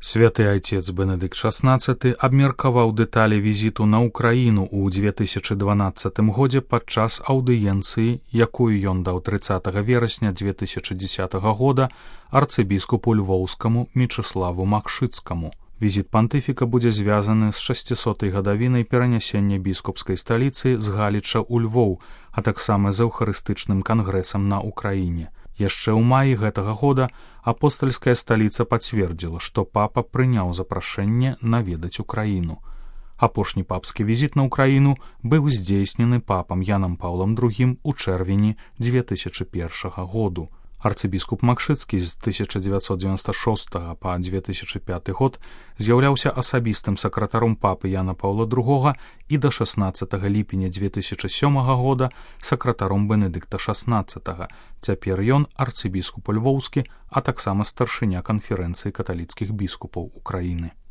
Святы айцец Бенедыкт XVI абмеркаваў дэталі візіту на ўкраіну ў 2012 годзе падчас аўдыенцыі, якую ён даў 30 верасня 2010 года арцыбіскупу львоўскаму Мечыславу Макшыцкаму. Візіт пантыфіка будзе звязаны з 600-й гадавінай перанясення біскупскай сталіцы з Галіча ў Львоў, а таксама з эўхарыстычным кангрэсам на Украіне. Яшчэ ў маі гэтага года апостальская сталіца пацвердзіла, што папа прыняў запрашэнне наведаць Украіну. Апошні папскі візіт на Украіну быў здзейснены папам Янам Паўлам II у чэрвені 2001 году. Арцыбіскуп Макшыцкі з 1996 па 2005 год з'яўляўся асабістым сакратаром папы Яна Паўла II і да 16 ліпеня 2007 года сакратаром Бенедыкта XVI. Цяпер ён арцыбіскуп львоўскі, а таксама старшыня канферэнцыі каталіцкіх біскупаў Украіны.